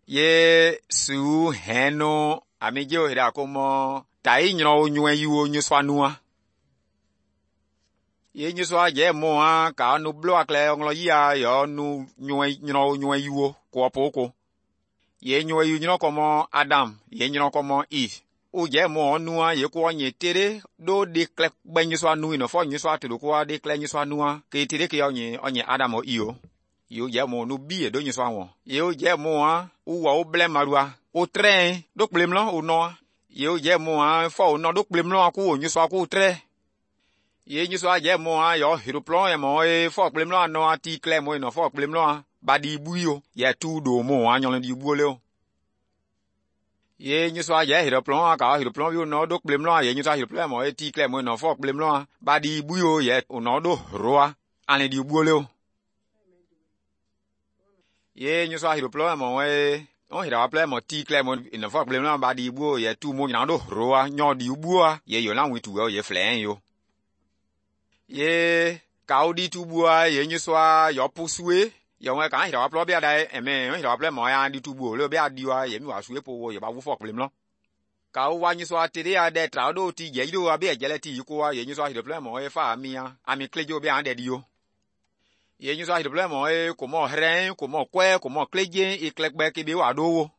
Ye su heno amijo hira komo tai nyro nywe yuo nyuswa nua. Ye nyuswa je mo a ka nu blo akle nglo yia yo nu nywe nyro nywe yuo ko poko. Ye nywe yu nyro komo Adam, ye nyro komo Eve. O je mo nua ye ko nye tere do de kle gbe nyuswa nu ino fo nyuswa to ko de kle nyuswa nua ke tere ke onye onye Adam o iyo. Yo je mo nu bi e do nyuswa won. Ye je mo a u wa o ble marua o train do kplemlo o no. Ye je mo a fo o no do kplemlo ku o nyuswa ku tre. Ye nyuswa je mo a yo hiroplon e mo e fo kplemlo no a ti kle mo ino fo kplemlo a ba di buyo ye tu do mo a nyon di buole o. Ye nyuswa je hiroplon a ka hiroplon bi no do kplemlo a ye nyuswa hiroplon mo e ti kle mo ino fo kplemlo a ba di buyo ye o no do roa ani di buole o. Ye nyuswa hiroplon mo e on hira mo ti kle mo ino fo kplemlo ba di buo ye tu mo nya do roa nyon di buo ye yo na witu ye flen yo. Ye kaudi tu bua ye nyuswa yo pusue yo nwe kan hira plo bia dai eme on hira plo mo ya di tu buo le bia diwa ye mi wa sue po wo ye ba wu fo kplemlo. Ka o wa nyuswa tere a de tra do ti je do abi ejele ti ko wa ye nyuswa hira plo mo e fa mi a ami klejo bia de di yo. Ye nyuswa hira plo mo e ko mo hren ko mo kwe ko mo kleje e klegbe ke bi wa do wo.